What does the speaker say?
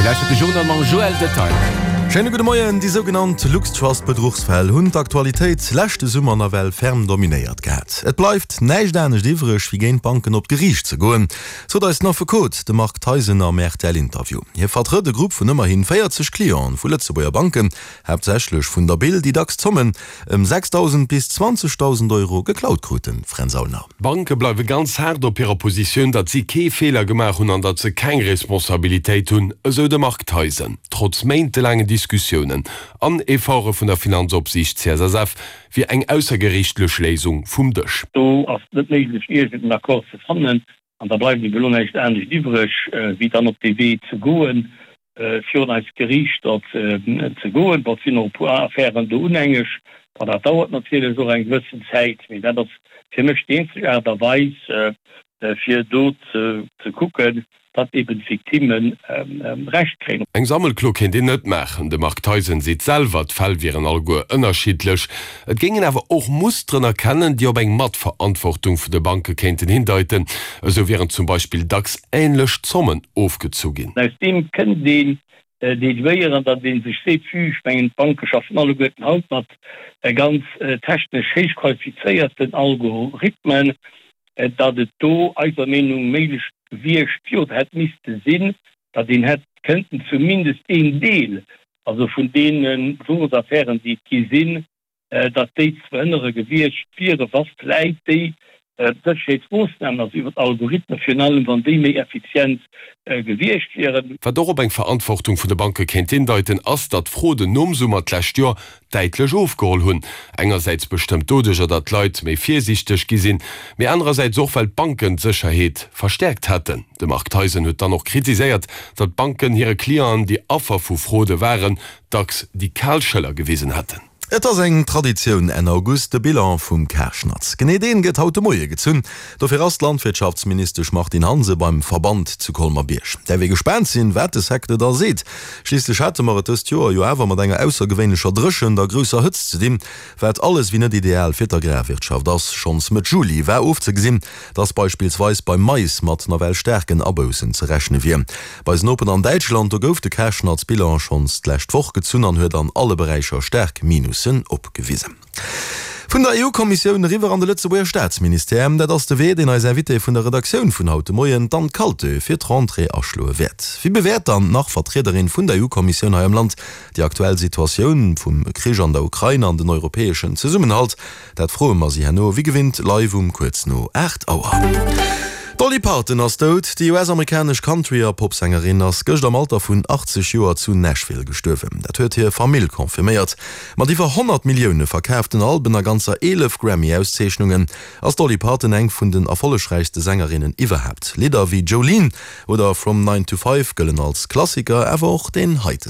Dir lauschtert de Journal mam Joël Detail. Schéine gudde Moien. Déi sougenannt LuxTrust-Bedruchsfäll hunn d'Aktualitéit leschte Summer nawell ferm dominéiert gehat. Et bleift näischt anescht iwwreg, wéi géint d'Banken op d'Geriicht ze goen, sot eis den Affekot, de Marc Theisen am RTL-Interview. Hie vertrëtt e Grupp vun ëmmerhi 40 Clienten vu Lëtzebuerger Banken, haaptsächlech vun der BIL, déi dacks Zommen ëm 6.000 bis 20.000 Euro geklaut kruten. Fränz Aulner. D'Banke bleiwe ganz haart op hirer Positioun, datt si kee Feeler gemaach hunn an datt se keng Responsabilitéit hunn, esou de Marc Theisen. Trotz méintelaangen Diskussiounen an Efforte vun der Finanzopsiicht CSSF wier eng aussergeriichtlech Léisung vum Dësch. Do ass et net méiglech, iergend en Accord ze fannen. An da bleift ebe lo näischt anescht iwwreg, wéi dann op dee Wee ze goen, virun eis Geriichter ze goen. Bon, et sinn och e puer Affären do unhängeg. Bon, dat dauert natierlech och eng gewëssen Zäit, mee dat ass fir mech déi eenzeg Aart a Weis, fir do ze kucken, datt eben d'Victimme Recht kréien. Eng Sammelklo kéint een net maachen. De Marc Theisen seet selwer, d'Fäll wieren alleguer ënnerschiddlech. Et géing een awer och Musteren erkennen, déi op eng Matverantwortung vun de Banke kéinten hindeiten. Esou wieren zum Beispill dacks änlech Zommen ofgezu ginn. Aus deem kënnt een deduéieren, datt ee sech seet, vue, ech mengen d'Banke schaffen alleguerten haut mat ganz technesch héich qualifizéierten Algorithmen, datt et do eiser Meenung méiglech gewiescht wier oder hätt misste sinn, datt een hätt kënnten zumindest een Deel also vun deene Bedruchsaffären, déi et gi sinn, datt déi ze verhënnere gewiescht wieren, wa vläit déi Sécherheetsmoossnamen, also iwwer d'Algorithmen virun allem, wann déi méi effizient gewiescht wieren. Wat och op eng Verantwortung vun de Banke kéint hindeiten, ass, datt d'Froden nom Summer d'lescht Joer däitlech ofgeholl hunn. Engersäits bestëmmt doduercher, datt d'Leit méi virsiichteg gi sinn, mee anerersäits och, well d'Banken d'Sécherheet verstäerkt hätten. De Marc Theisen huet dann och kritiséiert, datt d'Banken hire Clienten, déi Affer vu Fraude waren, dacks déi kal Schëller gewisen hätten. Et ass eng Traditioun Enn August, de Bilan vum Karschnatz. Genee deen gëtt haut de Moie gezunn. Dofir ass d'Landwirtschaftsministesch Martine Hansen beim Verband zu Colmer-Bierg. Däerf ee gespaant sinn, wat de Secteur da seet. Schliisslech hate mer et dëst Joer jo awer mat enger aussergewéinlecher Dréchent a grousser Hëtzt ze dinn, wat alles wéi net ideal fir d'Agrarwirtschaft ass. Schonns Mëtt Juli war ofzegesinn, dass beispillsweis beim Mais mat nawell staarken Aboussen ze rechne wier. Bei eisen Nopen an Däitschland, do gouf de Karschnatz-Bilan schonns d'lescht Woch gezunn an huet an alle Beräicher staark Minussen opgewisen. Vun der EU-Kommissioun eriwwer an de Lëtzebuerger Staatsministère, dat ass de Wee, deen eis Invitée vun der Redaktioun vun haut de Moien, d'Anne Kaltö, fir d'Rentrée aschloe wäert. Wéi bewäert dann d'Nach-Vertriederin vun der EU-Kommissioun hei am Land déi aktuell Situatioun vum Krich an der Ukrain an den europäeschen Zesummenhalt? Dat froe mer si herno wéi gewinnt live um kuerz no 8 Auer. D'Dolly Parton ass dout. Déi US-amerikanesch Country a Popsängerin ass gëscht am Alter vun 80 Joer zu Nashville gestuerwen. Dat huet hir Famill confirméiert. Mat iwwer 100 Millioune verkaaften Alben a ganzer 11 Grammy-Auszeechnungen ass d'Dolly Parton eng vun den erfollegräichste Sängerinnen iwwerhaapt. Lidder wéi Jolene oder From Nine to Five gëllen als Klassiker, awer och deen heite.